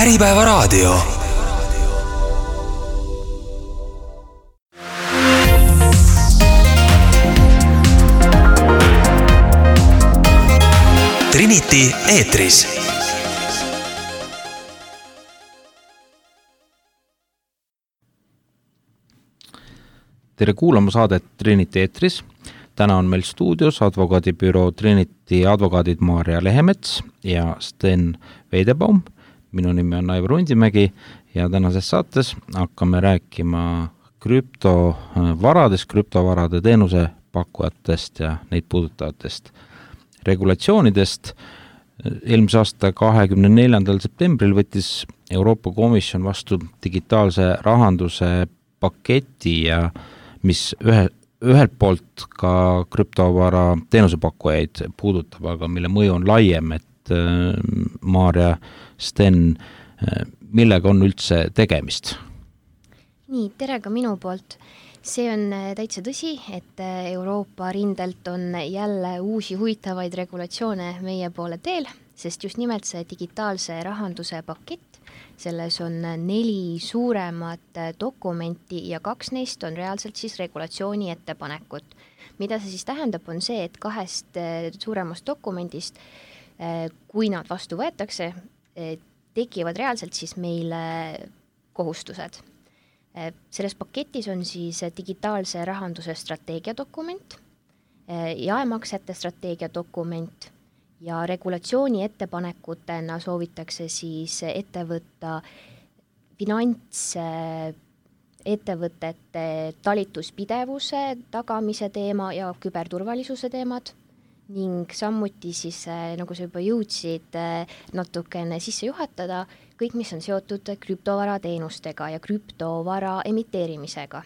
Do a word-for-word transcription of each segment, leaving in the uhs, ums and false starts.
Äripäevaraadio. Trinity eetris. Tere kuulama saadet Trinity eetris. Täna on meil stuudios advokaadibüroo Trinity advokaadid Maarja Lehemets ja Sten Veidebaum. Minu nimi on Aivar Undimägi ja tänases saates hakkame rääkima krüptovaradest, krüptovarade teenuse pakkujatest ja neid puudutavatest regulatsioonidest. Eelmise aasta kahekümne neljandal septembril võttis Euroopa Komisjon vastu digitaalse rahanduse paketi ja mis ühe, ühelt poolt ka krüptovara teenusepakkujaid puudutab, aga mille mõju on laiem, et äh, Maarja, Sten, äh, millega on üldse tegemist? Nii, tere ka minu poolt. See on täitsa tõsi, et Euroopa rindelt on jälle uusi huvitavaid regulatsioone meie poole teel, sest just nimelt see digitaalse rahanduse pakett, selles on neli suuremat dokumenti ja kaks neist on reaalselt siis regulatsiooni ettepanekut. Mida see siis tähendab, on see, et kahest suuremast dokumendist, kui nad vastu võetakse, tekivad reaalselt siis meile kohustused. Selles paketis on siis digitaalse rahanduse strateegiadokument, jaemaksete strateegiadokument ja regulatsiooni ettepanekutena soovitakse siis ette võtta finantsettevõtete talituspidevuse tagamise teema ja küberturvalisuse teemad ning samuti siis, nagu sa juba jõudsid natukene sisse juhatada, kõik, mis on seotud krüptovara teenustega ja krüptovara emiteerimisega.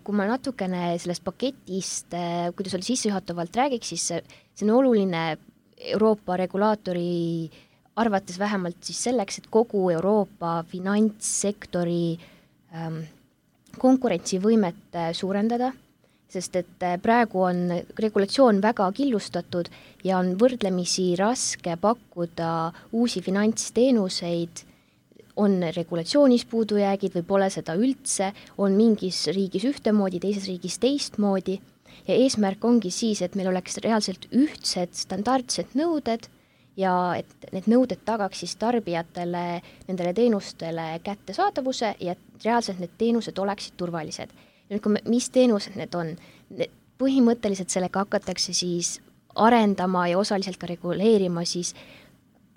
Kui ma natukene sellest paketist, kuidas oli sissejuhatavalt räägiks, siis see on oluline Euroopa regulaatori arvates vähemalt siis selleks, et kogu Euroopa finantssektori ähm, konkurentsivõimet suurendada, sest et praegu on regulatsioon väga killustatud ja on võrdlemisi raske pakkuda uusi finantsteenuseid, on regulatsioonis puudujäägid või pole seda üldse, on mingis riigis ühtemoodi, teises riigis teistmoodi ja eesmärk ongi siis, et meil oleks reaalselt ühtsed standardsed nõuded ja et need nõuded tagaks siis tarbijatele, nendele teenustele kättesaadavuse ja et reaalselt need teenused oleksid turvalised. Ja nüüd, mis teenused need on? Põhimõtteliselt sellega hakatakse siis arendama ja osaliselt ka reguleerima siis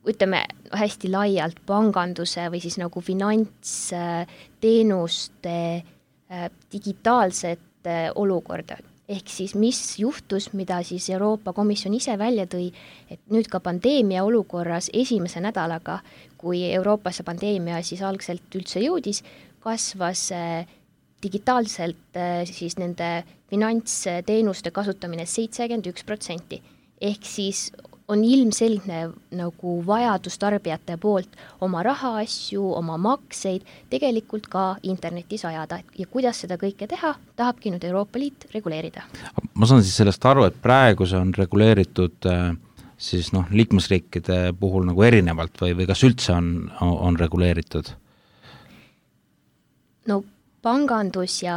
ütleme hästi laialt panganduse või siis nagu finantsteenuste digitaalset olukorda. Ehk siis mis juhtus, mida siis Euroopa Komisjon ise välja tõi, et nüüd ka pandeemia olukorras esimese nädalaga, kui Euroopasse pandeemia siis algselt üldse jõudis, kasvas digitaalselt siis nende finantsteenuste kasutamine seitsekümmend üks protsenti. Ehk siis on ilmselgne nagu vajadus tarbijate poolt oma rahaasju, oma makseid tegelikult ka internetis ajada. Ja kuidas seda kõike teha, tahabki nüüd Euroopa Liit reguleerida. Ma saan siis sellest aru, et praegu see on reguleeritud siis noh, liikmesriikide puhul nagu erinevalt või, või kas üldse on, on reguleeritud? No pangandus ja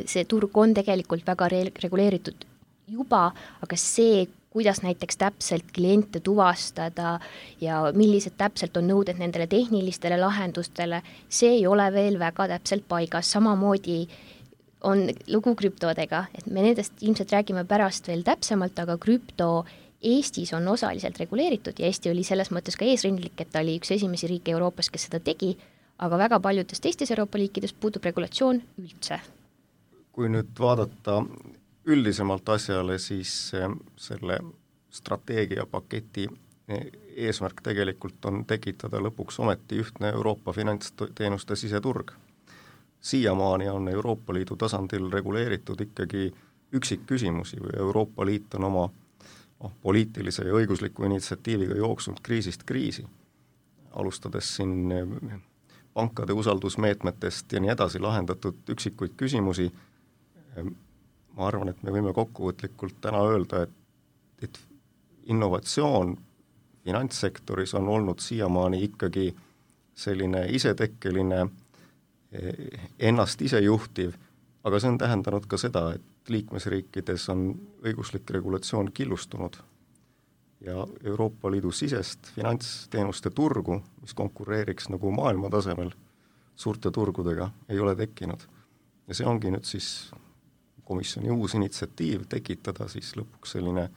see turg on tegelikult väga re- reguleeritud juba, aga see, kuidas näiteks täpselt kliente tuvastada ja millised täpselt on nõuded nendele tehnilistele lahendustele, see ei ole veel väga täpselt paigas. Samamoodi on lugu krüptodega, et me nendest ilmselt räägime pärast veel täpsemalt, aga krüpto Eestis on osaliselt reguleeritud ja Eesti oli selles mõttes ka eesrindlik, et ta oli üks esimesi riike Euroopas, kes seda tegi, aga väga paljudes teistes Euroopa liikides puudub regulatsioon üldse. Kui nüüd vaadata üldisemalt asjale, siis selle strateegiapaketi eesmärk tegelikult on tekitada lõpuks ometi ühtne Euroopa finantsteenuste siseturg. Siiamaani on Euroopa Liidu tasandil reguleeritud ikkagi üksikküsimusi või Euroopa Liit on oma oh, poliitilise ja õigusliku initsiatiiviga jooksnud kriisist kriisi, alustades siin pankade usaldusmeetmetest ja nii edasi lahendatud üksikuid küsimusi. Ma arvan, et me võime kokkuvõtlikult täna öelda, et, et innovatsioon finantssektoris on olnud siiamaani ikkagi selline isetekkeline, ennast ise juhtiv, aga see on tähendanud ka seda, et liikmesriikides on õiguslik regulatsioon killustunud ja Euroopa Liidu sisest finantsteenuste turgu, mis konkureeriks nagu maailma tasemel suurte turgudega, ei ole tekkinud. Ja see ongi nüüd siis komisjoni uus initsiatiiv tekitada siis lõpuks selline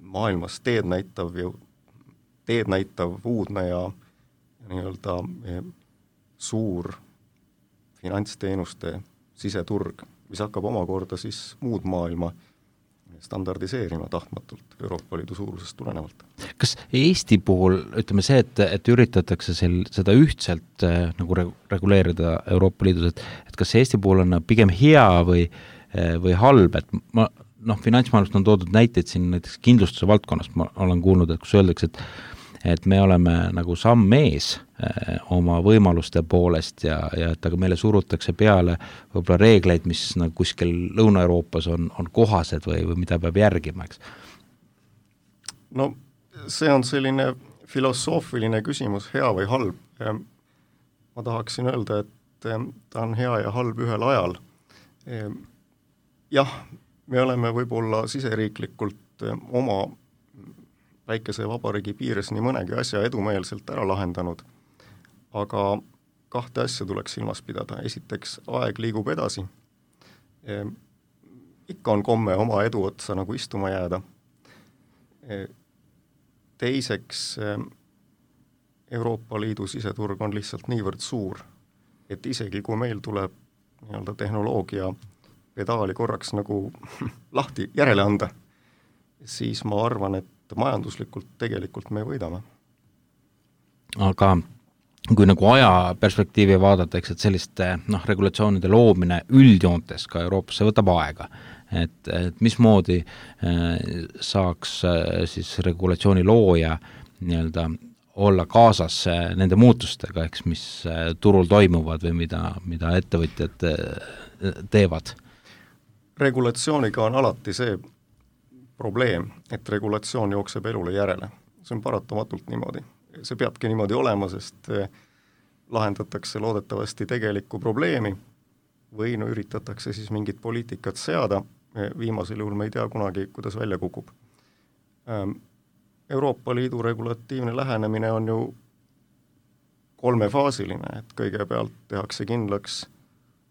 maailmas teed näitav, teed näitav uudne ja, ja nii-öelda suur finantsteenuste siseturg, mis hakkab omakorda siis muud maailma standardiseerima tahtmatult Euroopa Liidu suurusest tulenevalt. Kas Eesti puhul, ütleme see, et, et üritatakse sel, seda ühtselt äh, nagu re- reguleerida Euroopa Liidus, et, et kas Eesti puhul on pigem hea või, äh, või halb, et ma, noh, finantsmaailmast on toodud näiteid siin näiteks kindlustuse valdkonnast, ma olen kuulnud, et kus öeldakse, et et me oleme nagu samm ees äh, oma võimaluste poolest ja, ja et aga meile surutakse peale võib-olla reegleid, mis nagu kuskil Lõuna-Euroopas on, on kohased või, või mida peab järgima, eks? No see on selline filosoofiline küsimus, hea või halb. Ma tahaksin öelda, et ta on hea ja halb ühel ajal. Jah, me oleme võib-olla siseriiklikult oma väikese vabariigi piires nii mõnegi asja edumeelselt ära lahendanud, aga kahte asja tuleks silmas pidada. Esiteks, aeg liigub edasi. E, ikka on komme oma edu otsa nagu istuma jääda. E, teiseks, Euroopa Liidu siseturg on lihtsalt niivõrd suur, et isegi kui meil tuleb nii-öelda tehnoloogia pedaali korraks nagu lahti järele anda, siis ma arvan, et majanduslikult tegelikult me võidame. Aga kui nagu aja perspektiivi vaadata, eks, et selliste noh, regulatsioonide loomine üldjoontes ka Euroopasse võtab aega, et, et mismoodi äh, saaks äh, siis regulatsiooni looja nii-öelda olla kaasas äh, nende muutustega, eks, mis äh, turul toimuvad või mida, mida ettevõtjad äh, teevad? Regulatsiooniga on alati see probleem, et regulatsioon jookseb elule järele. See on paratamatult niimoodi. See peabki niimoodi olema, sest lahendatakse loodetavasti tegelikku probleemi või no üritatakse siis mingit poliitikat seada. Viimasel juhul me ei tea kunagi, kuidas välja kukub. Euroopa Liidu regulatiivne lähenemine on ju kolmefaasiline, et kõigepealt tehakse kindlaks,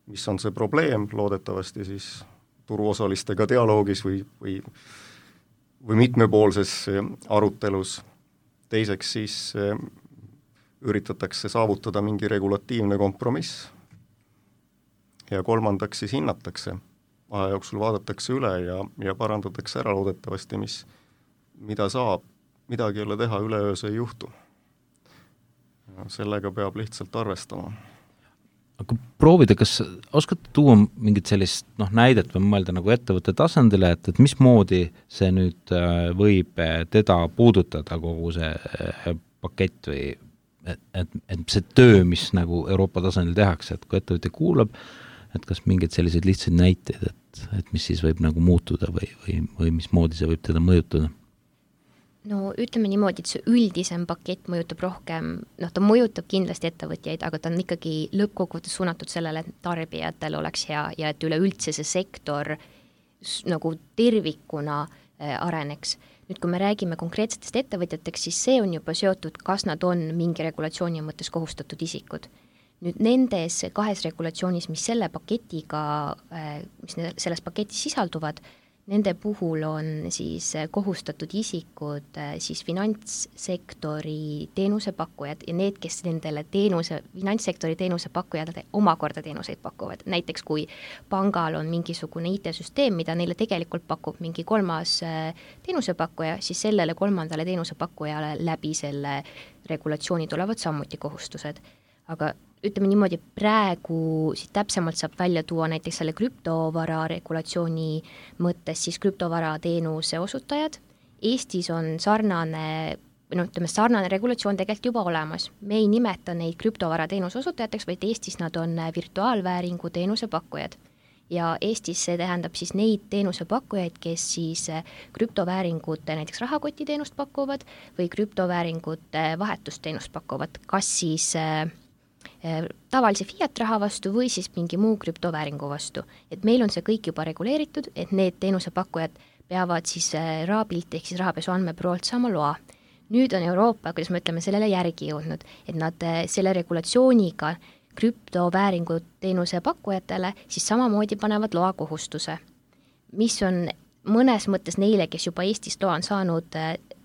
mis on see probleem, loodetavasti siis turuosalistega dialoogis või, või või mitmepoolses arutelus. Teiseks siis üritatakse saavutada mingi regulatiivne kompromiss ja kolmandaks siis hinnatakse. Aja jooksul vaadatakse üle ja, ja parandatakse ära loodetavasti, mis, mida saab, midagi ei ole teha, üleöö see ei juhtu. Sellega peab lihtsalt arvestama. Aga proovida, kas oskate tuua mingit sellist noh, näidet või mõelda nagu ettevõtte tasandile, et, et mismoodi see nüüd võib teda puudutada kogu see pakett või et, et, et see töö, mis nagu Euroopa tasandil tehakse, et kui ettevõte kuulab, et kas mingid sellised lihtsad näiteid, et, et mis siis võib nagu muutuda või, või, või mismoodi see võib teda mõjutada? No ütleme niimoodi, et see üldisem pakett mõjutab rohkem, noh ta mõjutab kindlasti ettevõtjaid, aga ta on ikkagi lõppkokkuvõttes suunatud sellele, et tarbijatel oleks hea ja et üleüldse see sektor nagu tervikuna areneks. Nüüd, kui me räägime konkreetsetest ettevõtjateks, siis see on juba seotud, kas nad on mingi regulatsiooni mõttes kohustatud isikud. Nüüd nendes kahes regulatsioonis, mis selle paketiga, mis selles paketis sisalduvad, nende puhul on siis kohustatud isikud siis finantssektori teenusepakkujad ja need, kes nendele teenuse, finantssektori teenusepakkujad omakorda teenuseid pakuvad. Näiteks kui pangal on mingisugune I T-süsteem, mida neile tegelikult pakub mingi kolmas teenusepakkuja, siis sellele kolmandale teenusepakkujale läbi selle regulatsiooni tulevad samuti kohustused. Aga ütleme niimoodi, praegu siit täpsemalt saab välja tuua näiteks selle krüptovara regulatsiooni mõttes siis krüptovara teenuse osutajad. Eestis on sarnane, no ütleme, sarnane regulatsioon tegelikult juba olemas. Me ei nimeta neid krüptovara teenuse osutajateks, vaid Eestis nad on virtuaalvääringu teenuse pakkujad. ja Eestis see tähendab siis neid teenusepakkujaid, kes siis krüptovääringute näiteks rahakotiteenust pakuvad või krüptovääringute vahetusteenust pakuvad, kas siis tavalise fiat raha vastu või siis mingi muu krüptovääringu vastu. Et meil on see kõik juba reguleeritud, et need teenusepakkujad peavad siis raabilt ehk siis rahapesu andmebüroolt saama loa. Nüüd on Euroopa, kuidas me ütleme, sellele järgi jõudnud, et nad selle regulatsiooniga krüptovääringu teenuse pakkujatele siis samamoodi panevad loa kohustuse, mis on mõnes mõttes neile, kes juba Eestist loa on saanud,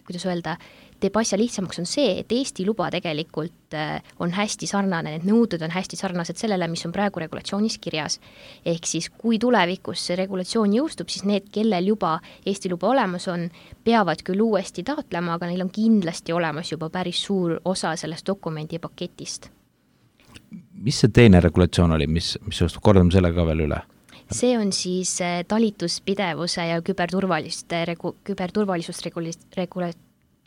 kuidas öelda, teeb asja lihtsamaks on see, et Eesti luba tegelikult on hästi sarnane, need nõuded on hästi sarnased sellele, mis on praegu regulatsioonis kirjas. Ehk siis, kui tulevikus see regulatsioon jõustub, siis need, kellel juba Eesti luba olemas on, peavad küll uuesti taotlema, aga neil on kindlasti olemas juba päris suur osa sellest dokumendi paketist. Mis see teine regulatsioon oli, mis, mis jõustub, kordame selle ka veel üle? See on siis talituspidevuse ja küberturvaliste, regu, küberturvalisust regula-, regula-,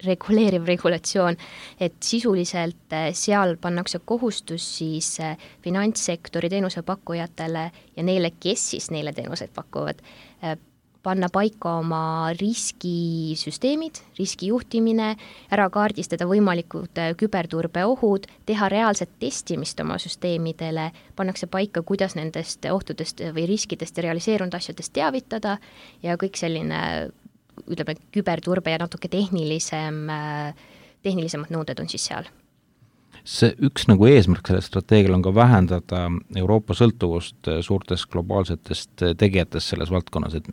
reguleeriv regulatsioon, et sisuliselt seal pannakse kohustus siis finantssektori teenusepakkujatele ja neile, kes siis neile teenuseid pakuvad, panna paika oma riskisüsteemid, riskijuhtimine, ära kaardistada võimalikud küberturbeohud, teha reaalset testimist oma süsteemidele, pannakse paika, kuidas nendest ohtudest või riskidest ja realiseerunud asjadest teavitada ja kõik selline, ütleme, küberturbe ja natuke tehnilisem, tehnilisemad nõuded on siis seal. See üks nagu eesmärk selle strateegial on ka vähendada Euroopa sõltuvust suurtest globaalsetest tegijatest selles valdkonnas, et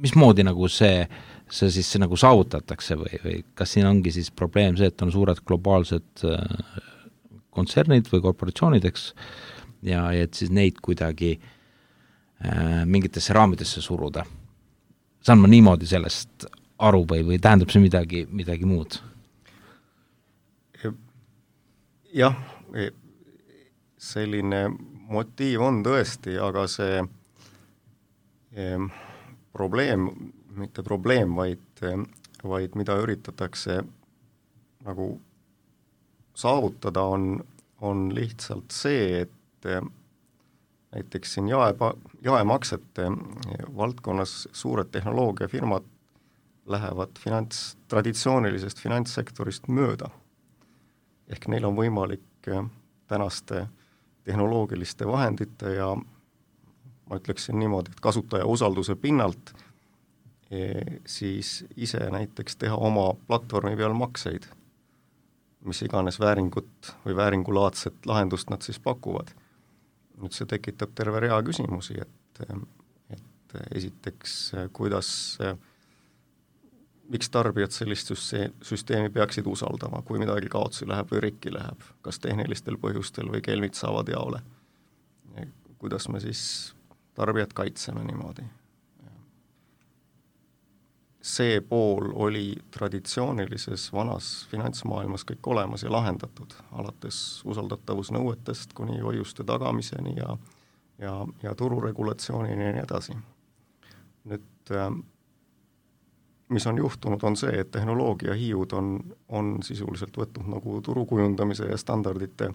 mismoodi nagu see, see siis see nagu saavutatakse või, või kas siin ongi siis probleem see, et on suured globaalsed kontsernid või korporatsioonideks ja, ja et siis neid kuidagi äh, mingitesse raamidesse suruda. Saan ma niimoodi sellest aru või, või tähendab see midagi, midagi muud? Jah, selline motiiv on tõesti, aga see eh, probleem, mitte probleem, vaid, vaid mida üritatakse nagu saavutada, on, on lihtsalt see, et näiteks siin jae, jaemaksete valdkonnas suured tehnoloogiafirmad lähevad finants, traditsioonilisest finantssektorist mööda. Ehk neil on võimalik tänaste tehnoloogiliste vahendite ja ma ütleksin niimoodi, et kasutaja usalduse pinnalt e, siis ise näiteks teha oma platvormi peal makseid, mis iganes vääringut või vääringulaadset lahendust nad siis pakuvad. Nüüd see tekitab terve rea küsimusi, et, et esiteks, kuidas, miks tarbijad sellist süsteemi peaksid usaldama, kui midagi kaotsi läheb või rikki läheb, kas tehnilistel põhjustel või kelmid saavad jaole. Kuidas me siis tarbijad kaitseme niimoodi. See pool oli traditsioonilises vanas finantsmaailmas kõik olemas ja lahendatud, alates usaldatavusnõuetest kuni hoiuste tagamiseni ja, ja, ja tururegulatsioonini ja nii edasi. Nüüd, mis on juhtunud, on see, et tehnoloogia hiiud on, on sisuliselt võtnud nagu turukujundamise ja standardite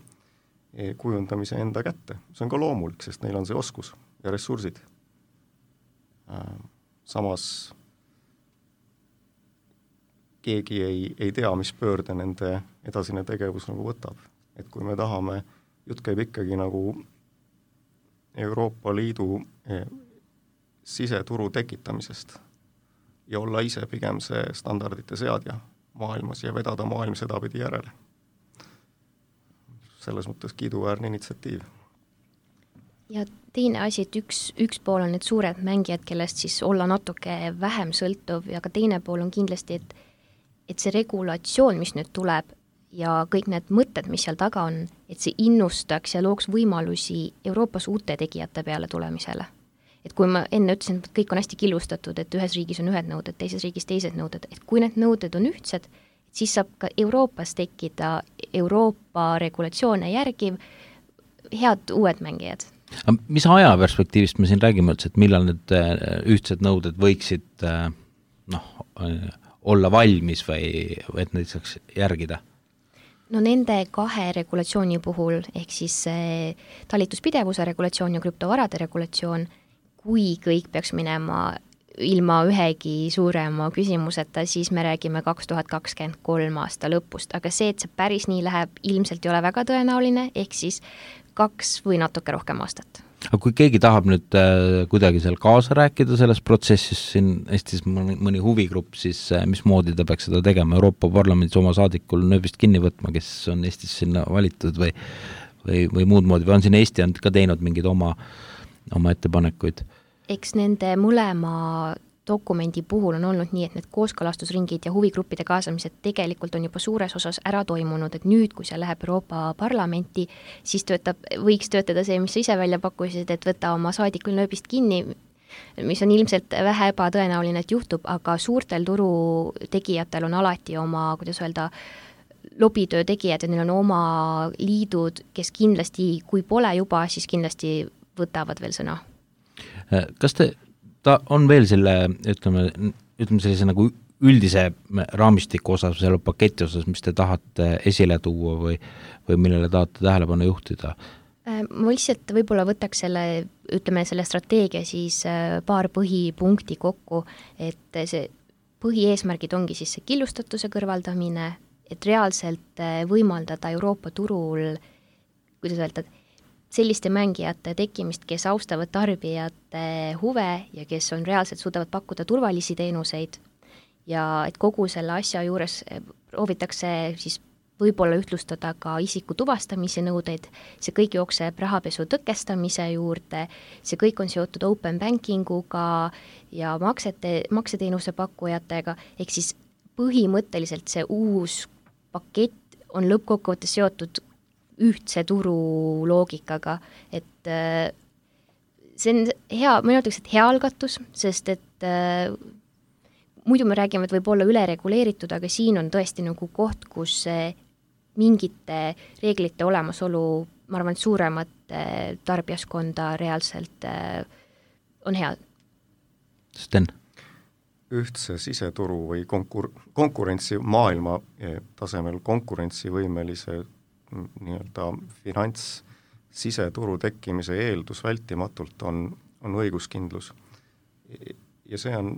kujundamise enda kätte. See on ka loomulik, sest neil on see oskus ja ressursid. Samas keegi ei, ei tea, mis pöörde nende edasine tegevus nagu võtab. Et kui me tahame, jutt käib ikkagi nagu Euroopa Liidu siseturu tekitamisest ja olla ise pigem see standardite seadja maailmas ja vedada maailm sedapidi järele. Selles mõttes kiiduväärne initsiatiiv. Ja teine asi, et üks, üks pool on need suured mängijad, kellest siis olla natuke vähem sõltuv ja ka teine pool on kindlasti, et, et see regulatsioon, mis nüüd tuleb ja kõik need mõtted, mis seal taga on, et see innustaks ja looks võimalusi Euroopas uute tegijate peale tulemisele. Et kui ma enne ütlesin, et kõik on hästi killustatud, et ühes riigis on ühed nõuded, teises riigis teised nõuded, et kui need nõuded on ühtsed, siis saab ka Euroopas tekkida Euroopa regulatsioone järgiv head uued mängijad. Mis aja perspektiivist me siin räägime üldse, et millal need ühtsed nõuded võiksid noh, olla valmis või et neid saaks järgida? No nende kahe regulatsiooni puhul, ehk siis talituspidevuse regulatsioon ja krüptovarade regulatsioon, kui kõik peaks minema ilma ühegi suurema küsimuseta, siis me räägime kaks tuhat kakskümmend kolm aasta lõpust, aga see, et see päris nii läheb, ilmselt ei ole väga tõenäoline, ehk siis kaks või natuke rohkem aastat. Aga kui keegi tahab nüüd äh, kuidagi seal kaasa rääkida selles protsessis, siin Eestis mõni, mõni huvigrupp, siis äh, mismoodi ta peaks seda tegema? Euroopa Parlamendis oma saadikul nööbist kinni võtma, kes on Eestis sinna valitud või, või, või muud moodi, või on siin Eesti on ka teinud mingeid oma, oma ettepanekuid? Eks nende mõlema dokumendi puhul on olnud nii, et need kooskõlastusringid ja huvigruppide kaasamised tegelikult on juba suures osas ära toimunud, et nüüd, kui see läheb Euroopa Parlamenti, siis töötab, võiks töötada see, mis sa ise välja pakkusid, et võtta oma saadikul nööbist kinni, mis on ilmselt vähe ebatõenäoline, et juhtub, aga suurtel turu tegijatel on alati oma, kuidas öelda, lobitöö tegijad ja neil on oma liidud, kes kindlasti, kui pole juba, siis kindlasti võtavad veel sõna. Kas te, ta on veel selle, ütleme, ütleme sellise nagu üldise raamistiku osas, selle paketi osas, mis te tahate esile tuua või, või millele tahate tähelepanu juhtida? Ma lihtsalt võib-olla võtaks selle, ütleme selle strateegia siis paar põhipunkti kokku, et see põhieesmärgid ongi siis see killustatuse kõrvaldamine, et reaalselt võimaldada Euroopa turul, kuidas öelda, selliste mängijate tekkimist, kes austavad tarbijate huve ja kes on reaalselt suudavad pakkuda turvalisi teenuseid ja et kogu selle asja juures proovitakse siis võib-olla ühtlustada ka isiku tuvastamise nõudeid, see kõik jookseb rahapesu tõkestamise juurde, see kõik on seotud open bankinguga ja maksete, makseteenuse pakkujatega, ehk siis põhimõtteliselt see uus pakett on lõppkokkuvõttes seotud ühtse turu loogikaga, et see on hea, ma ütleks, et hea algatus, sest et äh, muidu me räägime, et võib olla ülereguleeritud, aga siin on tõesti nagu koht, kus äh, mingite reeglite olemasolu, ma arvan, et suuremat äh, tarbijaskonda reaalselt äh, on hea. Sten? Ühtse siseturu või konkur- konkurentsi maailma tasemel konkurentsivõimelise nii-öelda finants siseturu tekkimise eeldus vältimatult on, on õiguskindlus. Ja see on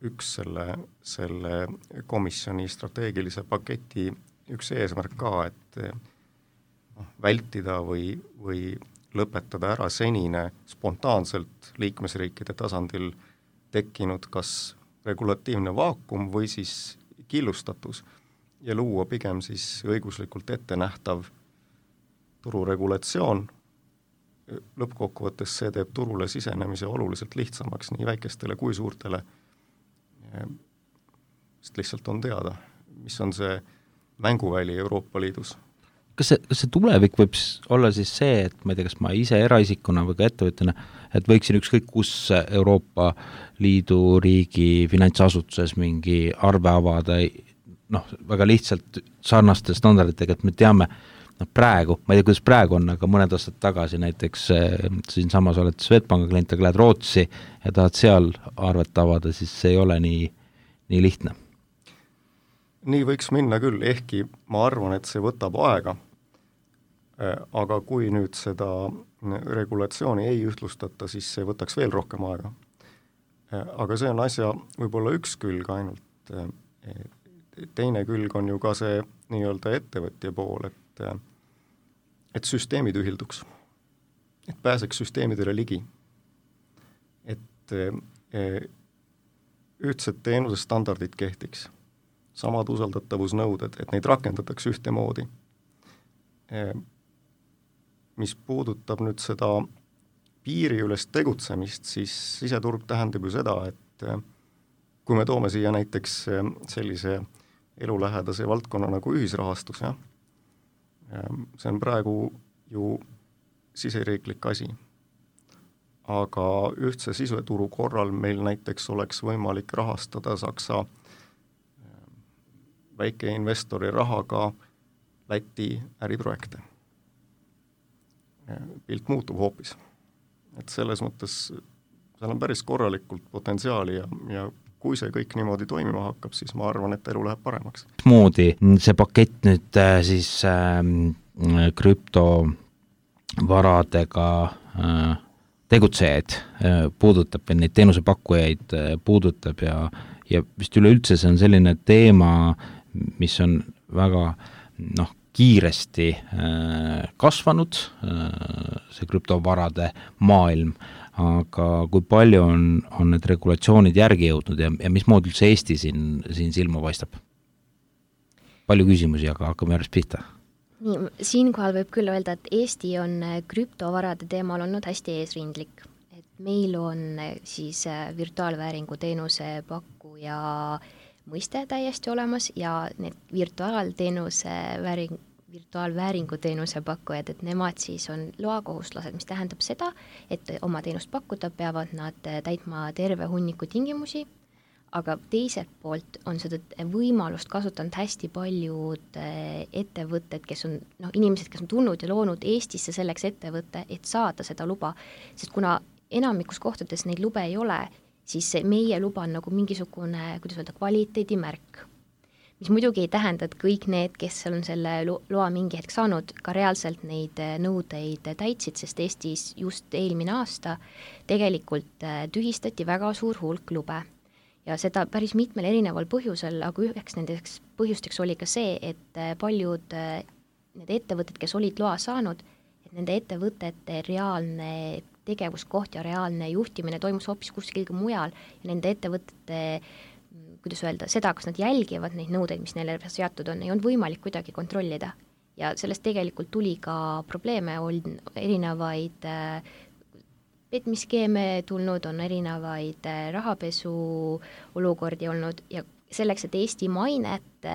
üks selle, selle komisjoni strateegilise paketi üks eesmärk ka, et noh, vältida või, või lõpetada ära senine spontaanselt liikmesriikide tasandil tekkinud kas regulatiivne vaakum või siis killustatus ja luua pigem siis õiguslikult ette nähtav tururegulatsioon. Lõppkokkuvõttes see teeb turule sisenemise oluliselt lihtsamaks nii väikestele kui suurtele, sest lihtsalt on teada, mis on see mänguväli Euroopa Liidus. Kas see, kas see tulevik võib olla siis see, et ma ei tea, kas ma ise eraisikuna või ka ettevõtjana, et võiksin ükskõik kus Euroopa Liidu riigi finantsasutuses mingi arve avada, noh, väga lihtsalt sarnaste standarditega, et me teame, noh praegu, ma ei tea, kuidas praegu on, aga mõned aastad tagasi näiteks äh, siin samas oled Swedbanka klient, aga lähed Rootsi ja tahad seal arvet avada, siis see ei ole nii, nii lihtne. Nii võiks minna küll, ehkki ma arvan, et see võtab aega, aga kui nüüd seda regulatsiooni ei ühtlustata, siis see võtaks veel rohkem aega. Aga see on asja võib-olla üks külg ainult. Teine külg on ju ka see nii-öelda ettevõtja pool, et, et süsteemid ühilduks, et pääseks süsteemidele ligi, et ühtsed teenusestandardid kehtiks, samad usaldatavusnõuded, et neid rakendatakse ühtemoodi. Mis puudutab nüüd seda piiriülest tegutsemist, siis siseturg tähendab ju seda, et kui me toome siia näiteks sellise elulähedase valdkonna nagu ühisrahastus, jah, see on praegu ju siseriiklik asi. Aga ühtse siseturu korral meil näiteks oleks võimalik rahastada Saksa väikeinvestori rahaga Läti äriprojekte. Pilt muutub hoopis. Et selles mõttes seal on päris korralikult potentsiaali ja, ja kui see kõik niimoodi toimima hakkab, siis ma arvan, et elu läheb paremaks. Moodi see pakett nüüd siis äh, krüptovaradega äh, tegutsejaid puudutab ja neid teenusepakkujaid puudutab ja, ja vist üleüldse see on selline teema, mis on väga noh, kiiresti kasvanud, see krüptovarade maailm, aga kui palju on, on need regulatsioonid järgi jõudnud ja, ja mismoodi üldse Eesti siin, siin silma paistab? Palju küsimusi, aga hakkame järjest pihta. Nii, siinkohal võib küll öelda, et Eesti on krüptovarade teemal olnud hästi eesrindlik. Et meil on siis virtuaalvääringu teenuse pakkuja mõiste täiesti olemas ja need virtuaalteenuse vääring, virtuaalvääringu teenuse pakkujad, et nemad siis on loakohuslased, mis tähendab seda, et oma teenust pakkuda peavad nad täitma terve hunniku tingimusi, aga teiselt poolt on seda võimalust kasutanud hästi paljud ettevõtted, kes on, noh, inimesed, kes on tulnud ja loonud Eestisse selleks ettevõtte, et saada seda luba, sest kuna enamikus kohtades neid lube ei ole, siis meie luba on nagu mingisugune, kuidas öelda, kvaliteedimärk, mis muidugi ei tähenda, et kõik need, kes on selle loa mingi hetk saanud, ka reaalselt neid nõudeid täitsid, sest Eestis just eelmine aasta tegelikult tühistati väga suur hulk lube. Ja seda päris mitmel erineval põhjusel, aga üheks nendeks põhjusteks oli ka see, et paljud need ettevõtted, kes olid loa saanud, et nende ettevõtete reaalne tegevuskoht ja reaalne juhtimine toimus hoopis kuskil mujal ja nende ettevõtete, kuidas öelda, seda, kas nad jälgivad neid nõudeid, mis neile seatud on, ei olnud võimalik kuidagi kontrollida. Ja sellest tegelikult tuli ka probleeme, on erinevaid petmiskeeme tulnud, on erinevaid rahapesu olukordi olnud ja selleks, et Eesti mainet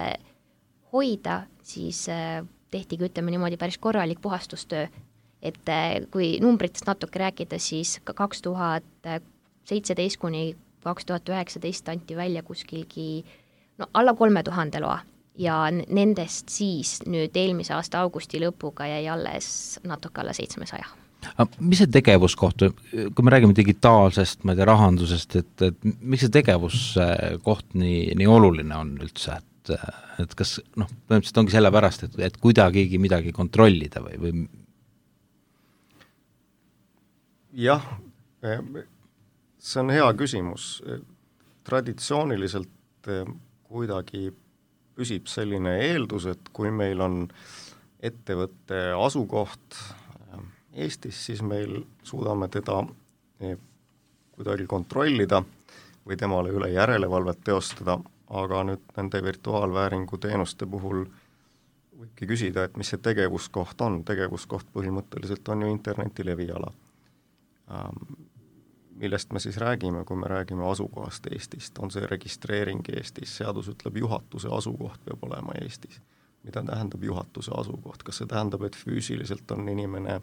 hoida, siis tehtigi, ütleme niimoodi, päris korralik puhastustöö. Et kui numbritest natuke rääkida, siis kaks tuhat seitseteist kuni kaks tuhat üheksateist anti välja kuskilgi no, alla kolme tuhande loa ja nendest siis nüüd eelmise aasta augusti lõpuga jäi alles natuke alla seitsmesaja. Mis see tegevuskoht, kui me räägime digitaalsest, ma ei tea, rahandusest, et, et miks see tegevuskoht nii, nii oluline on üldse, et, et kas, noh, põhimõtteliselt ongi selle pärast, et, et kuidagigi midagi kontrollida või, või? Jah, see on hea küsimus. Traditsiooniliselt kuidagi püsib selline eeldus, et kui meil on ettevõtte asukoht Eestis, siis meil suudame teda kuidagi kontrollida või temale üle järelevalvet teostada, aga nüüd nende virtuaalvääringu teenuste puhul võibki küsida, et mis see tegevuskoht on. Tegevuskoht põhimõtteliselt on ju interneti leviala. Millest me siis räägime, kui me räägime asukohast Eestist, on see registreering Eestis, seadus ütleb, juhatuse asukoht peab olema Eestis. Mida tähendab juhatuse asukoht? Kas see tähendab, et füüsiliselt on inimene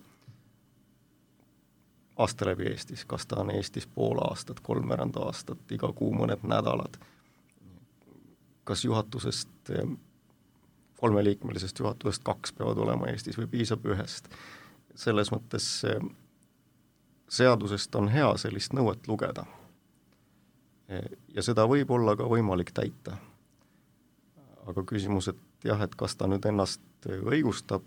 aasta läbi Eestis, kas ta on Eestis pool aastat, kolmveerand aastat, iga kuu mõned nädalad? Kas juhatusest, kolmeliikmelisest juhatusest kaks peavad olema Eestis või piisab ühest? Selles mõttes seadusest on hea sellist nõuet lugeda. Ja seda võib olla ka võimalik täita. Aga küsimus, et jah, et kas ta nüüd ennast õigustab,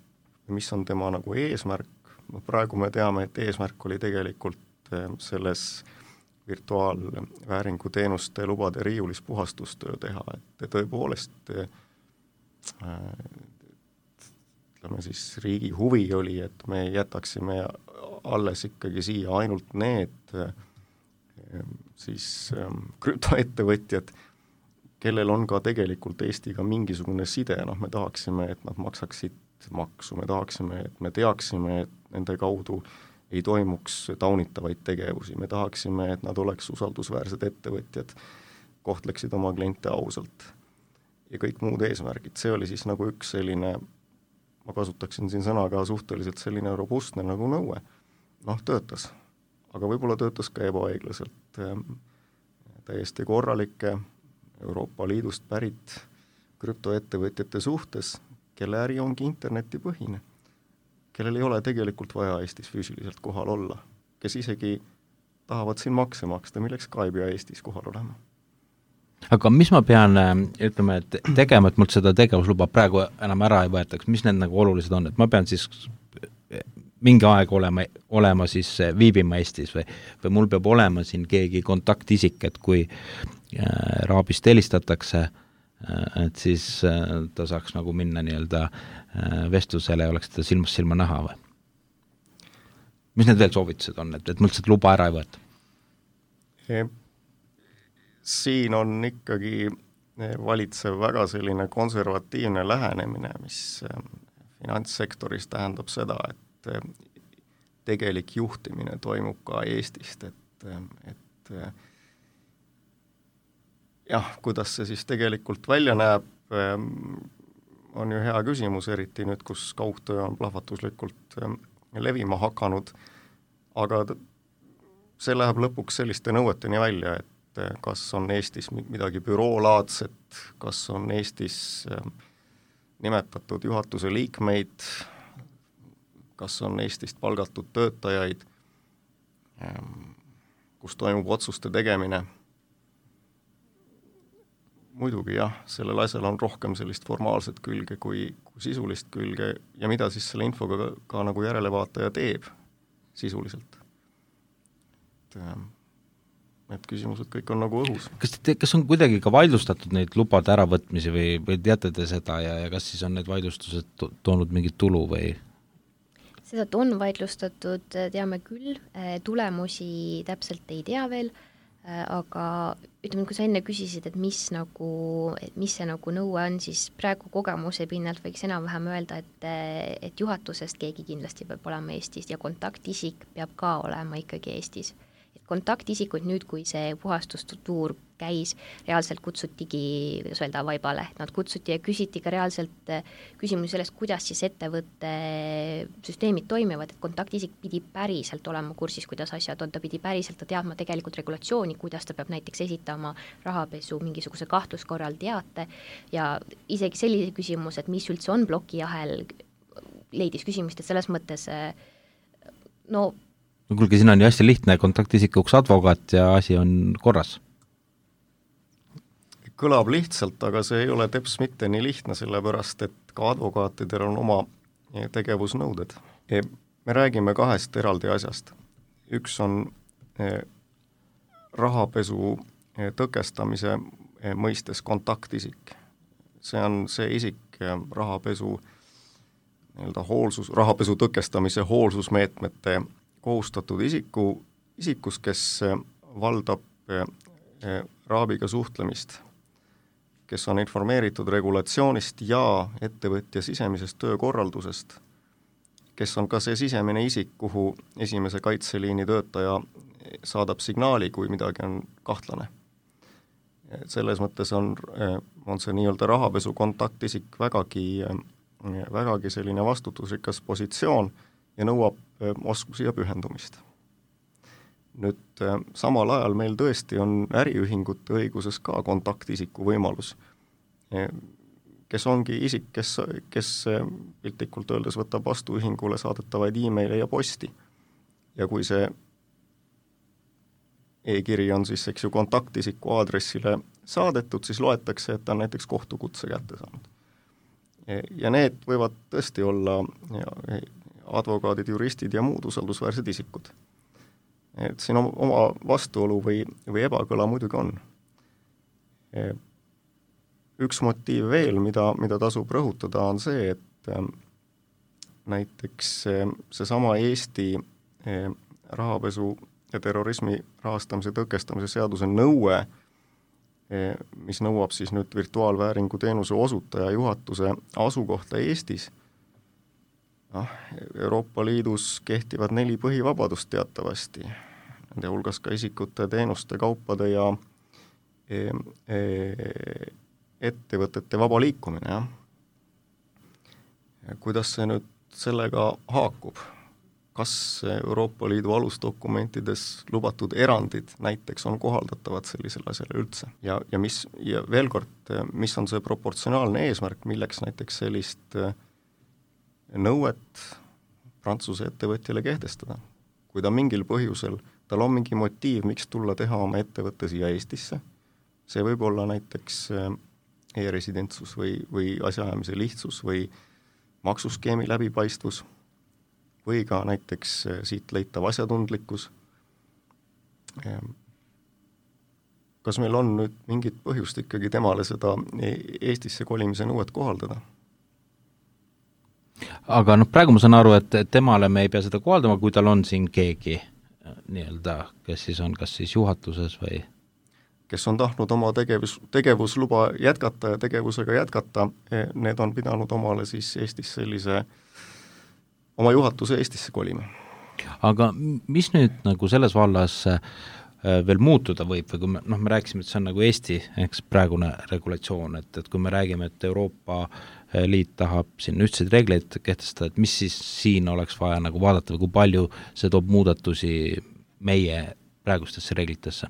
mis on tema nagu eesmärk, no praegu me teame, et eesmärk oli tegelikult selles virtuaalvääringu teenuste lubade riiulis puhastustöö teha, et tõepoolest ütleme siis riigi huvi oli, et me jätaksime alles ikkagi siia ainult need siis krüptoettevõtjad, kellel on ka tegelikult Eestiga mingisugune side, noh me tahaksime, et nad maksaksid maksu, me tahaksime, et me teaksime, et nende kaudu ei toimuks taunitavaid tegevusi, me tahaksime, et nad oleks usaldusväärsed ettevõtjad, kohtleksid oma kliente ausalt ja kõik muud eesmärgid. See oli siis nagu üks selline, ma kasutaksin siin sõna ka suhteliselt selline robustne nagu nõue. Noh, töötas, aga võib-olla töötas ka ebaõiglaselt täiesti korralike Euroopa Liidust pärit krüptoettevõtjate suhtes, kelle äri ongi internetipõhine, kellel ei ole tegelikult vaja Eestis füüsiliselt kohal olla, kes isegi tahavad siin makse maksta, milleks ka ei pea Eestis kohal olema. Aga mis ma pean, ütleme, et tegema, et mult seda tegevusluba praegu enam ära ei võetaks, mis need nagu olulised on, et ma pean siis mingi aeg olema, olema siis viibima Eestis või, või mul peab olema siin keegi kontaktisik, et kui äh, raabist helistatakse, äh, et siis äh, ta saaks nagu minna nii-öelda äh, vestlusele ja oleks teda silmast silma näha või? Mis need veel soovitused on, et, et mul seda luba ära ei võeta? Siin on ikkagi valitsev väga selline konservatiivne lähenemine, mis finantssektoris tähendab seda, et tegelik juhtimine toimub ka Eestist, et, et jah, kuidas see siis tegelikult välja näeb, on ju hea küsimus, eriti nüüd, kus kaugtöö on plahvatuslikult levima hakanud, aga see läheb lõpuks selliste nõueteni välja, et kas on Eestis midagi büroolaadset, kas on Eestis nimetatud juhatuse liikmeid, kas on Eestist palgatud töötajaid, kus toimub otsuste tegemine. Muidugi jah, sellel asjal on rohkem sellist formaalset külge kui, kui sisulist külge ja mida siis selle infoga ka, ka nagu järelevaataja teeb sisuliselt. Et, need küsimused kõik on nagu õhus. Kas, te, kas on kuidagi ka vaidlustatud neid lubade äravõtmisi või, või teate te seda ja, ja kas siis on need vaidlustused to- toonud mingit tulu või? Seda on vaidlustatud, teame küll, tulemusi täpselt ei tea veel, aga ütleme, kui sa enne küsisid, et mis, nagu, et mis see nagu nõue on, siis praegu kogemuse pinnalt võiks enam-vähem öelda, et, et juhatusest keegi kindlasti peab olema Eestis ja kontaktisik peab ka olema ikkagi Eestis. Kontaktisikud nüüd, kui see puhastustuur käis, reaalselt kutsutigi, kuidas öelda, vaibale, nad kutsuti ja küsiti ka reaalselt küsimusi sellest, kuidas siis ettevõtte süsteemid toimivad, et kontaktisik pidi päriselt olema kursis, kuidas asjad on, ta pidi päriselt teadma tegelikult regulatsiooni, kuidas ta peab näiteks esitama rahapesu mingisuguse kahtluskorral teate ja isegi sellise küsimus, et mis üldse on plokijahel, leidis küsimust, et selles mõttes no no kuulge, siin on ju hästi lihtne kontaktisikuks advokaat ja asi on korras. Kõlab lihtsalt, aga see ei ole teps mitte nii lihtne, sellepärast et ka advokaatidel on oma tegevusnõuded. Me räägime kahest eraldi asjast. Üks on rahapesu tõkestamise mõistes kontaktisik. See on see isik rahapesu, nii-öelda hoolsus, rahapesu tõkestamise hoolsusmeetmete kohustatud isiku, isikus, kes valdab raabiga suhtlemist, kes on informeeritud regulatsioonist ja ettevõtja sisemisest töökorraldusest, kes on ka see sisemine isik, kuhu esimese kaitseliini töötaja saadab signaali, kui midagi on kahtlane. Selles mõttes on, on see nii-öelda rahapesu kontaktisik vägagi, vägagi selline vastutusrikas positsioon ja nõuab oskusi ja pühendumist. Nüüd samal ajal meil tõesti on äriühingute õiguses ka kontaktisiku võimalus, kes ongi isik, kes, kes piltlikult öeldes võtab vastu ühingule saadetavaid e-maile ja posti. Ja kui see e-kiri on siis, eks ju, kontaktisiku aadressile saadetud, siis loetakse, et ta on näiteks kohtukutse kätte saanud. Ja need võivad tõesti olla ja, advokaadid, juristid ja muud usaldusväärsed isikud. Et siin oma vastuolu või, või ebakõla muidugi on. Üks motiiv veel, mida, mida tasub rõhutada, on see, et näiteks seesama Eesti rahapesu ja terrorismi rahastamise tõkestamise seaduse nõue, mis nõuab siis nüüd virtuaalvääringu teenuse osutaja juhatuse asukohta Eestis. No, Euroopa Liidus kehtivad neli põhivabadust teatavasti, nende hulgas ka isikute, teenuste, kaupade ja e, e, ettevõtete vaba liikumine. Ja kuidas see nüüd sellega haakub? Kas Euroopa Liidu alusdokumentides lubatud erandid näiteks on kohaldatavad sellisele asjale üldse? Ja, ja, mis, ja veel kord, mis on see proportsionaalne eesmärk, milleks näiteks sellist nõuet Prantsuse ettevõtjale kehtestada. Kui ta mingil põhjusel, tal on mingi motiiv, miks tulla teha oma ettevõtte siia Eestisse, see võib olla näiteks e-residentsus või, või asjaajamise lihtsus või maksuskeemi läbipaistvus. või ka näiteks siit leitav asjatundlikkus. Kas meil on nüüd mingit põhjust ikkagi temale seda Eestisse kolimise nõuet kohaldada? Aga noh, praegu ma saan aru, et temale me ei pea seda kohaldama, kui tal on siin keegi nii-öelda, kes siis on kas siis juhatuses või kes on tahtnud oma tegevus, tegevusluba jätkata ja tegevusega jätkata, need on pidanud omale siis Eestis sellise oma juhatuse Eestisse kolima. Aga mis nüüd nagu selles vallas veel muutuda võib või kui me, noh, me rääkisime, et see on nagu Eesti, eks praegune regulatsioon, et, et kui me räägime, et Euroopa Liit tahab siin ühtseid reegleid kehtestada, et mis siis siin oleks vaja nagu vaadata või kui palju see toob muudatusi meie praegustesse reeglitesse?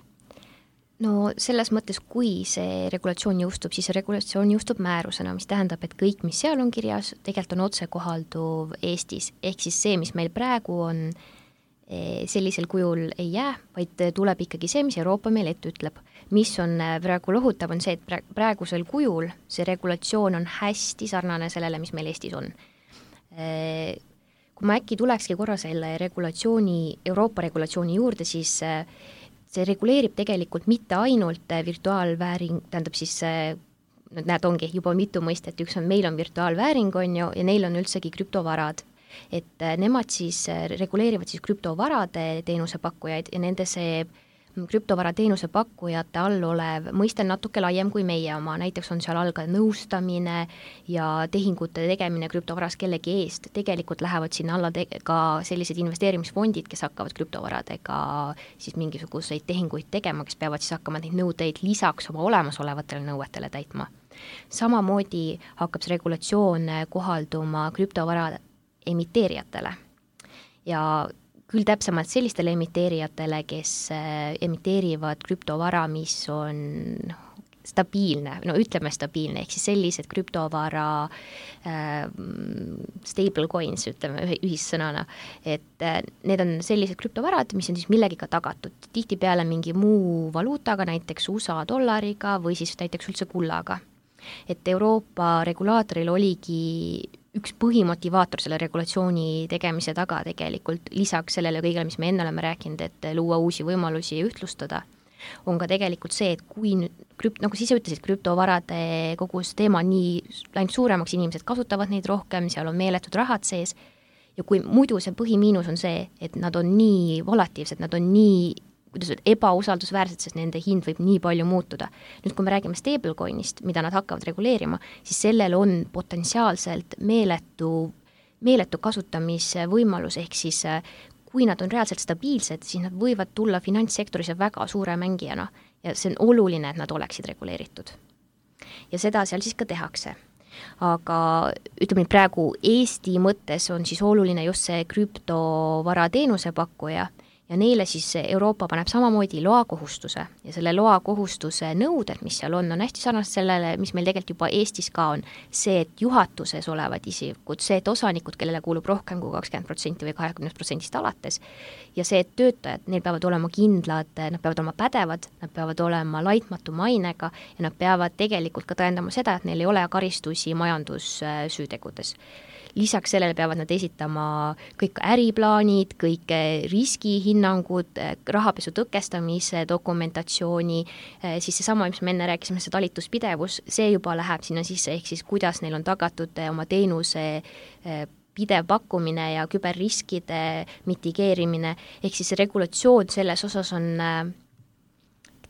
No selles mõttes, kui see regulatsioon jõustub, siis see regulatsioon jõustub määrusena, mis tähendab, et kõik, mis seal on kirjas, tegelikult on otse kohalduv Eestis. Ehk siis see, mis meil praegu on, sellisel kujul ei jää, vaid tuleb ikkagi see, mis Euroopa meil ette ütleb. Mis on praegu lohutav, on see, et praegusel kujul see regulatsioon on hästi sarnane sellele, mis meil Eestis on. Kui ma äkki tulekski korra selle regulatsiooni, Euroopa regulatsiooni juurde, siis see reguleerib tegelikult mitte ainult virtuaalvääring, tähendab siis, näed, ongi juba mitu mõistet, üks on, meil on virtuaalvääring, on ju, ja neil on üldsegi krüptovarad. Et nemad siis reguleerivad siis krüptovarade teenusepakkujaid ja nende see krüptovara teenusepakkujate all olev mõiste on natuke laiem kui meie oma, näiteks on seal all ka nõustamine ja tehingute tegemine krüptovaras kellegi eest, tegelikult lähevad sinna alla te- ka sellised investeerimisfondid, kes hakkavad krüptovaradega siis mingisuguseid tehinguid tegema, kes peavad siis hakkama neid nõudeid lisaks oma olemasolevatele nõuetele täitma. Samamoodi hakkab see regulatsioon kohalduma krüptovara emiteerijatele ja küll täpsemalt sellistele emiteerijatele, kes emiteerivad krüptovara, mis on stabiilne, no ütleme stabiilne, ehk siis sellised krüptovara äh, stable coins, ütleme ühissõnana, et äh, need on sellised krüptovarad, mis on siis millegiga tagatud, tihtipeale mingi muu valuutaga, näiteks U S A dollariga või siis näiteks üldse kullaga. Et Euroopa regulaatoril oligi üks põhimotivaator selle regulatsiooni tegemise taga tegelikult, lisaks sellele kõigele, mis me enne oleme rääkinud, et luua uusi võimalusi ja ühtlustada, on ka tegelikult see, et kui nüüd, krüpt, nagu siis ütlesid, krüptovarade kogu see teema nii läinud suuremaks, inimesed kasutavad neid rohkem, seal on meeletud rahad sees ja kui muidu see põhimiinus on see, et nad on nii volatiivsed, nad on nii kuidas öelda, ebausaldusväärsed, sest nende hind võib nii palju muutuda. Nüüd, kui me räägime stablecoinist, mida nad hakkavad reguleerima, siis sellel on potentsiaalselt meeletu, meeletu kasutamise võimalus, ehk siis kui nad on reaalselt stabiilsed, siis nad võivad tulla finantssektoris väga suure mängijana ja see on oluline, et nad oleksid reguleeritud. Ja seda seal siis ka tehakse. Aga ütleme, praegu Eesti mõttes on siis oluline just see krüptovara teenusepakkuja ja neile siis Euroopa paneb samamoodi loakohustuse ja selle loakohustuse nõuded, mis seal on, on hästi sarnased sellele, mis meil tegelikult juba Eestis ka on. See, et juhatuses olevad isikud, see, et osanikud, kellele kuulub rohkem kui kakskümmend protsenti või kahekümne protsendist alates ja see, et töötajad, neil peavad olema kindlad, nad peavad olema pädevad, nad peavad olema laitmatu mainega ja nad peavad tegelikult ka tõendama seda, et neil ei ole karistusi majandussüütegudes. Lisaks sellele peavad nad esitama kõik äriplaanid, kõik riskihinnangud, rahapesu tõkestamise dokumentatsiooni, siis see sama, mis me enne rääkisime, see talituspidevus, see juba läheb sinna sisse, ehk siis kuidas neil on tagatud oma teenuse pidev pakkumine ja küberriskide mitigeerimine, ehk siis see regulatsioon selles osas on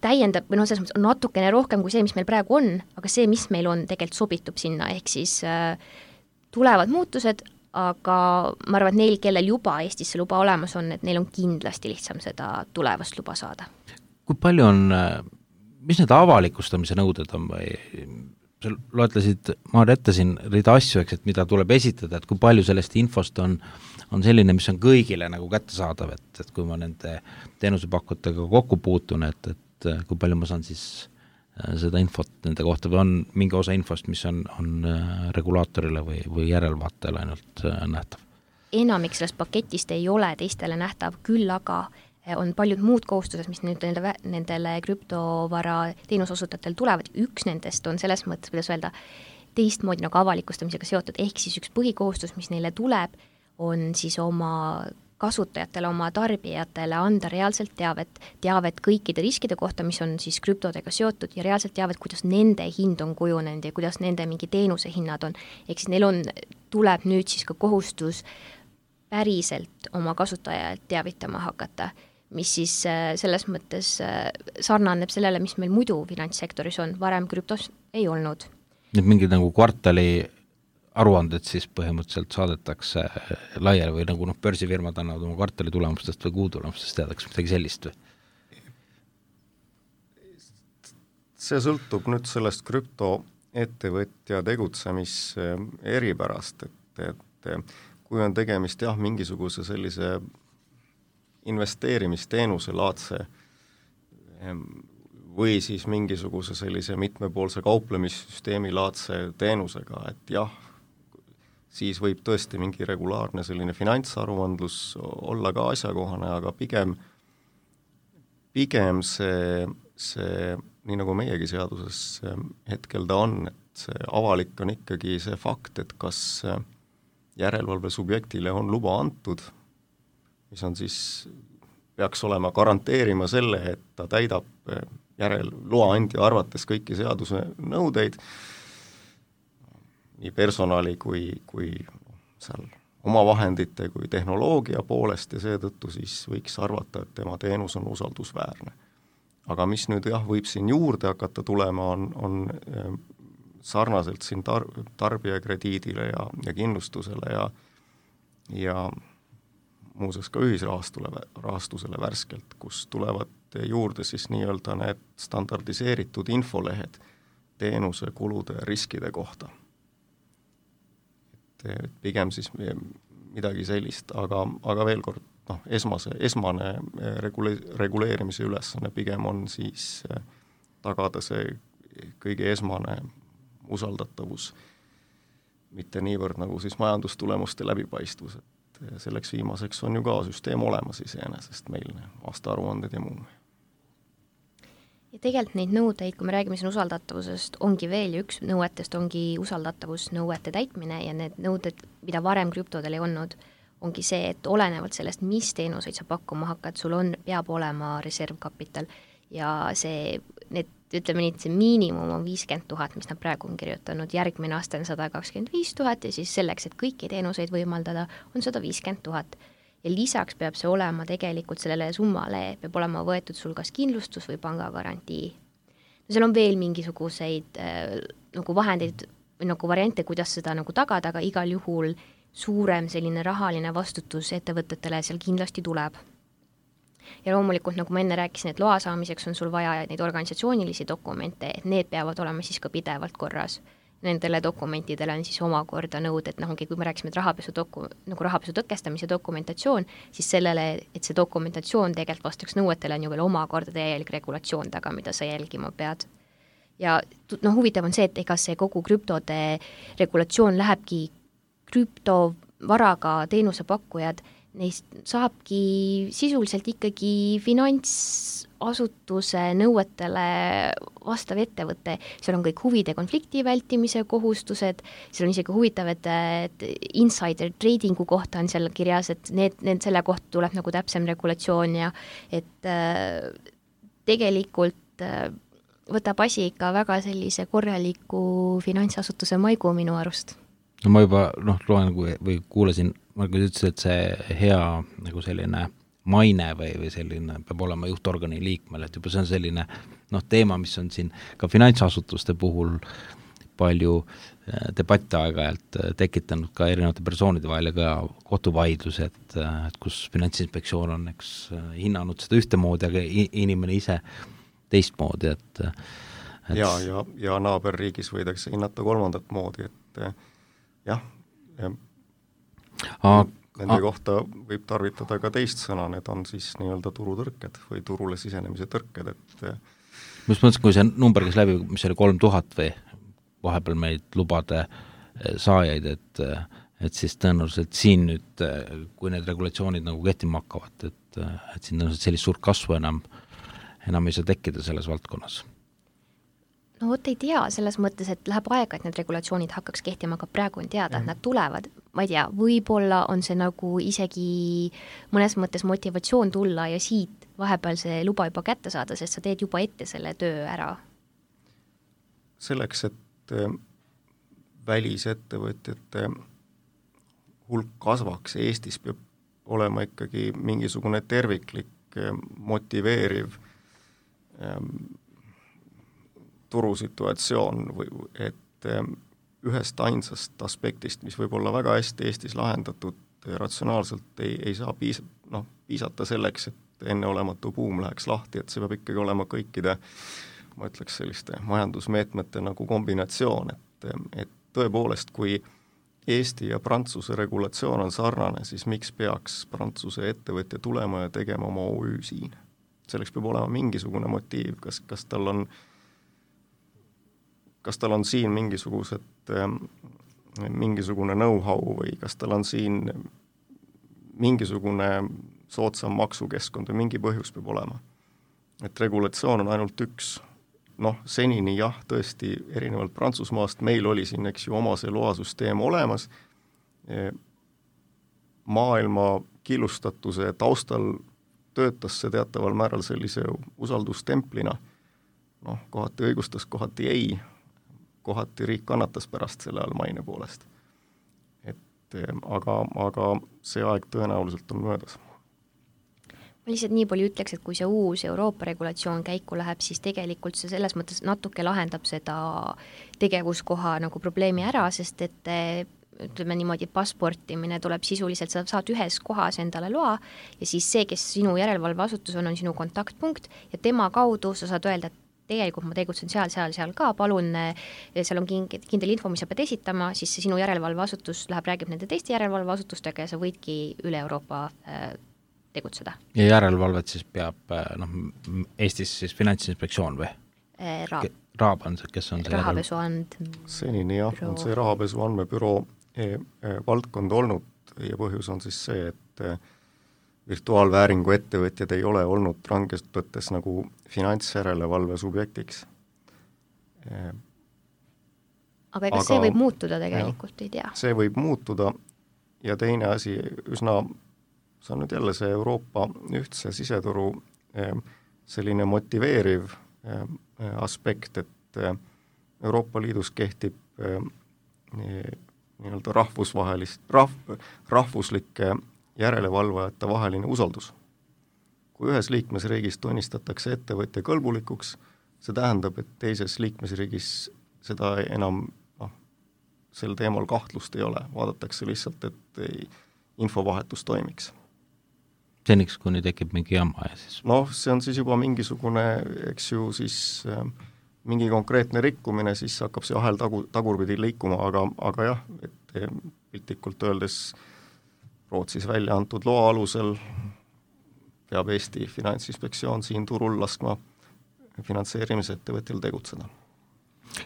täiendab, või noh, selles mõttes on natukene rohkem kui see, mis meil praegu on, aga see, mis meil on, tegelikult sobitub sinna, ehk siis tulevad muutused, aga ma arvan, et neil, kellel juba Eestis see luba olemas on, et neil on kindlasti lihtsam seda tulevast luba saada. Kui palju on, mis need avalikustamise nõuded on või sa loetlesid, ma ette siin rida asju, eks, et mida tuleb esitada, et kui palju sellest infost on, on selline, mis on kõigile nagu kättesaadav, et, et kui ma nende teenusepakkutega kokku puutun, et, et kui palju ma saan siis seda infot nende kohta või on mingi osa infost, mis on, on regulaatorile või, või järelvaatajale ainult nähtav? Enamik sellest paketist ei ole teistele nähtav, küll aga on paljud muud kohustused, mis nüüd nendele, nendele krüptovara teenusosutajatele tulevad. Üks nendest on selles mõttes, kuidas öelda, teistmoodi nagu avalikustamisega seotud, ehk siis üks põhikohustus, mis neile tuleb, on siis oma kasutajatele, oma tarbijatele anda reaalselt teavet, teavet kõikide riskide kohta, mis on siis krüptodega seotud ja reaalselt teavet, kuidas nende hind on kujunenud ja kuidas nende mingi teenuse hinnad on. Ehk siis neil on, tuleb nüüd siis ka kohustus päriselt oma kasutajalt teavitama hakata, mis siis selles mõttes sarnaneb sellele, mis meil muidu finantssektoris on, varem krüptos ei olnud. Nüüd mingid nagu kvartali aruanded siis põhimõtteliselt saadetakse laiali või nagu noh, börsifirmad annavad oma kvartali tulemustest või kuu tulemustest teadaks midagi sellist või? See sõltub nüüd sellest krüptoettevõtja tegutsemis eripärast, et, et kui on tegemist jah, mingisuguse sellise investeerimisteenuse laadse või siis mingisuguse sellise mitmepoolse kauplemissüsteemi laadse teenusega, et jah, siis võib tõesti mingi regulaarne selline finantsaruandlus olla ka asjakohane, aga pigem, pigem see, see, nii nagu meiegi seaduses hetkel ta on, et see avalik on ikkagi see fakt, et kas järelevalve subjektile on luba antud, mis on siis, peaks olema garanteerima selle, et ta täidab järel loa andja arvates kõiki seaduse nõudeid, nii personali kui, kui seal oma vahendite kui tehnoloogia poolest ja seetõttu siis võiks arvata, et tema teenus on usaldusväärne. Aga mis nüüd jah, võib siin juurde hakata tulema, on, on sarnaselt siin tar- tarbijakrediidile ja, ja kindlustusele ja, ja muuseas ka ühisrahastule, rahastusele värskelt, kus tulevad juurde siis nii-öelda need standardiseeritud infolehed teenuse kulude ja riskide kohta. Et pigem siis midagi sellist, aga, aga veel kord, noh, esmase, esmane regule, reguleerimise ülesanne pigem on siis tagada see kõige esmane usaldatavus, mitte niivõrd nagu siis majandustulemuste läbipaistvus, et selleks viimaseks on ju ka süsteem olemas iseenesest meil, aastaaruanded ja muu. Ja tegelikult neid nõudeid, kui me räägime siin usaldatavusest, ongi veel ja üks nõuetest ongi usaldatavusnõuete täitmine ja need nõuded, mida varem krüptodel ei olnud, ongi see, et olenevalt sellest, mis teenuseid sa pakkuma hakkad, sul on, peab olema reservkapital ja see, need, ütleme nii, et see miinimum on viiskümmend tuhat, mis nad praegu on kirjutanud, järgmine aasta on sada kakskümmend viis tuhat ja siis selleks, et kõiki teenuseid võimaldada, on sada viiskümmend tuhat. Ja lisaks peab see olema tegelikult sellele summale, peab olema võetud sul kas kindlustus või pangagarantii. No seal on veel mingisuguseid äh, nagu vahendeid või nagu variante, kuidas seda nagu tagada, aga igal juhul suurem selline rahaline vastutus ettevõtetele seal kindlasti tuleb. Ja loomulikult, nagu ma enne rääkisin, et loa saamiseks on sul vaja neid organisatsioonilisi dokumente, et need peavad olema siis ka pidevalt korras. Nendele dokumentidele on siis omakorda nõud, et noh, kui me rääksime, et rahapesu, doku, nagu rahapesu tõkestamise dokumentatsioon, siis sellele, et see dokumentatsioon tegelikult vastaks nõuetele, on ju veel omakorda täielik regulatsioon taga, mida sa jälgima pead. Ja noh, huvitav on see, et ega see kogu krüptode regulatsioon lähebki krüptovaraga teenusepakkujad, neist saabki sisuliselt ikkagi finantsasutuse nõuetele vastav ettevõte, seal on kõik huvide konflikti vältimise kohustused, seal on isegi huvitav, et, et insider tradingu kohta on seal kirjas, et need, need selle kohta tuleb nagu täpsem regulatsioon ja et äh, tegelikult äh, võtab asi ikka väga sellise korraliku finantsasutuse maigu minu arust. No ma juba noh, loen või kuulasin, Margus ütles, et see hea nagu selline maine või, või selline peab olema juhtorgani liikmel, et juba see on selline noh, teema, mis on siin ka finantsasutuste puhul palju debatte aeg-ajalt tekitanud ka erinevate persoonide vahel ja ka kohtuvaidlus, et, et kus Finantsinspektsioon on eks hinnanud seda ühtemoodi, aga inimene ise teistmoodi, et, et ja, ja, ja naaberriigis võidakse hinnata kolmandat moodi, et jah, ja A, nende a, kohta võib tarvitada ka teist sõna, need on siis nii-öelda turutõrked või turule sisenemise tõrked, et mis mõttes, kui see number käis läbi, mis oli kolm tuhat või vahepeal meid lubade saajaid, et, et siis tõenäoliselt siin nüüd, kui need regulatsioonid nagu kehtima hakkavad, et, et siin tõenäoliselt sellist suurt kasvu enam, enam ei saa tekkida selles valdkonnas. no vot ei tea, selles mõttes, et läheb aega, et need regulatsioonid hakkaks kehtima, aga praegu on teada, et nad tulevad, ma ei tea, võib-olla on see nagu isegi mõnes mõttes motivatsioon tulla ja siit vahepeal see luba juba kätte saada, sest sa teed juba ette selle töö ära. Selleks, et välisettevõtjate hulk kasvaks, Eestis peab olema ikkagi mingisugune terviklik motiveeriv turusituatsioon, või, et ühest ainsast aspektist, mis võib olla väga hästi Eestis lahendatud, ratsionaalselt ei, ei saa piis, no, piisata selleks, et enneolematu buum läheks lahti, et see peab ikkagi olema kõikide, ma ütleks selliste majandusmeetmete nagu kombinatsioon, et, et tõepoolest, kui Eesti ja Prantsuse regulatsioon on sarnane, siis miks peaks Prantsuse ettevõtja tulema ja tegema oma O Ü siin? Selleks peab olema mingisugune motiiv, kas, kas tal on kas tal on siin mingisugused, mingisugune know-how või kas tal on siin mingisugune soodsam maksukeskkond või mingi põhjus peab olema. Et regulatsioon on ainult üks, noh, senini jah, tõesti erinevalt Prantsusmaast, meil oli siin, eks ju, oma see loasüsteem olemas, maailma killustatuse taustal töötas see teataval määral sellise usaldustemplina, noh, kohati õigustas, kohati ei, kohati riik kannatas pärast selle all maine poolest. Et aga, aga see aeg tõenäoliselt on möödas. Ma lihtsalt nii palju ütleks, et kui see uus Euroopa regulatsioon käiku läheb, siis tegelikult see selles mõttes natuke lahendab seda tegevuskoha nagu probleemi ära, sest et ütleme niimoodi, passportimine tuleb sisuliselt, sa saad ühes kohas endale loa ja siis see, kes sinu järelevalveasutus on, on sinu kontaktpunkt ja tema kaudu sa saad öelda, et tegelikult ma tegutsen seal, seal, seal ka, palun, seal on kindel info, mis sa pead esitama, siis see sinu järelevalveasutus läheb, räägib nende teiste järelevalveasutustega ja sa võidki üle Euroopa äh, tegutseda. Ja järelevalvet siis peab, noh, Eestis siis Finantsinspektsioon või? Äh, Raab. Raab on see, kes on see rahapesu and... senini jah, on see rahapesu andmebüroo e, e, valdkond olnud ja põhjus on siis see, et e, virtuaalvääringu ettevõtjad ei ole olnud rangest võttes nagu finantsjärelevalve subjektiks. Aga ega Aga, see võib muutuda tegelikult, jah, ei tea. See võib muutuda ja teine asi, üsna, see on nüüd jälle see Euroopa ühtse siseturu selline motiveeriv aspekt, et Euroopa Liidus kehtib nii-öelda rahvusvahelist, rahv, rahvuslike järelevalvajate vaheline usaldus. Kui ühes liikmesriigis tunnistatakse ettevõtja kõlbulikuks, see tähendab, et teises liikmesriigis seda enam noh, sel teemal kahtlust ei ole, vaadatakse lihtsalt, et ei, infovahetus toimiks. Seniks, kuni tekib mingi jama ja siis... Noh, see on siis juba mingisugune, eks ju, siis äh, mingi konkreetne rikkumine, siis hakkab see ahel tagu, tagurpidi liikuma, aga, aga jah, et piltlikult öeldes Rootsis välja antud loa alusel peab Eesti Finantsinspektsioon siin turul laskma finantseerimisettevõtjal tegutseda.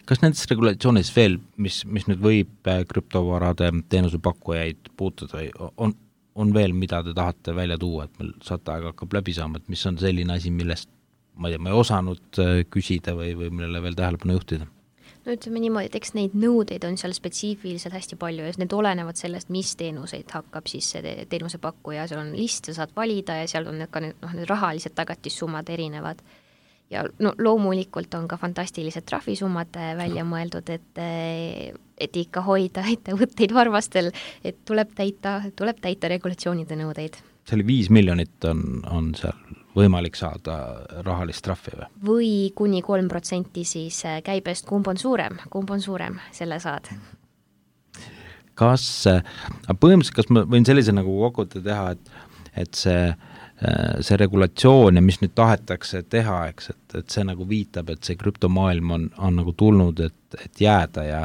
Kas nendes regulatsioonides veel, mis, mis nüüd võib krüptovarade teenusepakkujaid puutuda, on, on veel, mida te tahate välja tuua, et meil saate aega hakkab läbi saama, et mis on selline asi, millest ma ei tea, ma ei osanud küsida või, või millele veel tähelepanu juhtida? No ütleme niimoodi, et eks neid nõudeid on seal spetsiifiliselt hästi palju ja need olenevad sellest, mis teenuseid hakkab siis see teenusepakkuja, seal on list, sa saad valida ja seal on ka need, noh, need rahalised tagatissummad erinevad. Ja no, loomulikult on ka fantastilised trahvisummad välja mõeldud, et, et ikka hoida ettevõtteid varvastel, et tuleb täita, tuleb täita regulatsioonide nõudeid. See oli viis miljonit on, on seal võimalik saada rahalist trahvi või? Või kuni kolm protsenti siis käibest, kumb on suurem, kumb on suurem, selle saad. Kas, põhimõtteliselt, kas ma võin sellise nagu kokkuvõtte teha, et, et see, see regulatsioon ja mis nüüd tahetakse teha, eks, et, et see nagu viitab, et see krüptomaailm on, on nagu tulnud, et, et jääda ja,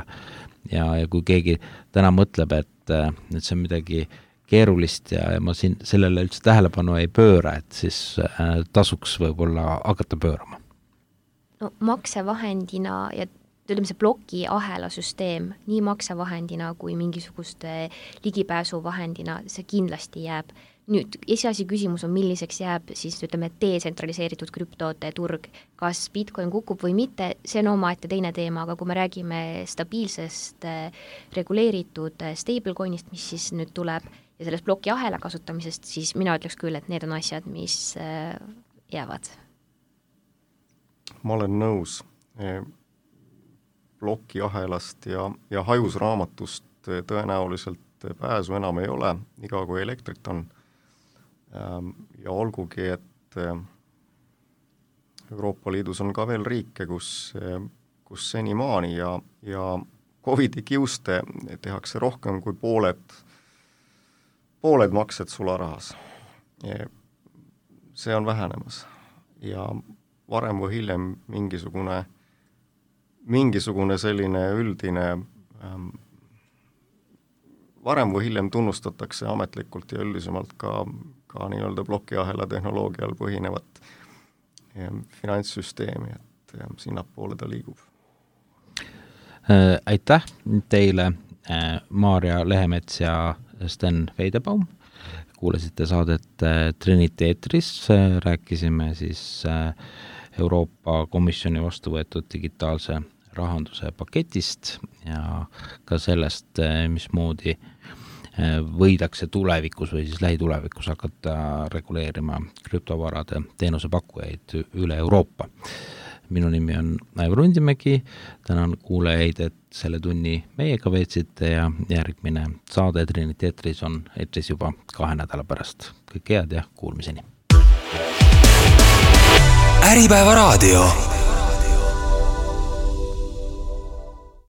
ja, ja kui keegi täna mõtleb, et, et see on midagi keerulist ja, ja ma siin sellele üldse tähelepanu ei pööra, et siis äh, tasuks võib-olla hakata pöörama. No maksevahendina ja ütleme see ploki ahela süsteem nii maksevahendina kui mingisuguste ligipääsuvahendina, see kindlasti jääb. nüüd esiasi küsimus on, milliseks jääb siis ütleme detsentraliseeritud krüptote turg, kas Bitcoin kukub või mitte, see on omaette teine teema, aga kui me räägime stabiilsest reguleeritud stablecoinist, mis siis nüüd tuleb ja sellest ploki ahela kasutamisest, siis mina ütleks küll, et need on asjad, mis jäävad. Ma olen nõus. Ploki ahelast ja, ja hajusraamatust tõenäoliselt pääsu enam ei ole, iga kui elektrit on. Ja olgugi, et Euroopa Liidus on ka veel riike, kus, kus senimaani ja, ja Covidi kiuste tehakse rohkem kui pooled, pooled maksed sularahas. See on vähenemas ja varem või hiljem mingisugune, mingisugune selline üldine ähm, varem või hiljem tunnustatakse ametlikult ja üldisemalt ka, ka nii-öelda plokiahela tehnoloogial põhinevat finantssüsteemi, et sinnapoole ta liigub. Aitäh teile, Maarja Lehemets ja Sten Veidebaum. Kuulasite saadet Trinity eetris, rääkisime siis Euroopa Komisjoni vastu võetud digitaalse rahanduse paketist ja ka sellest, mismoodi võidakse tulevikus või siis lähitulevikus hakata reguleerima krüptovarade teenusepakkujaid üle Euroopa. Minu nimi on Aivar Undimägi, tänan kuulajaid, et selle tunni meiega veetsite ja järgmine saade Trinity eetris on eetris juba kahe nädala pärast. Kõik head ja kuulmiseni. Äripäeva raadio.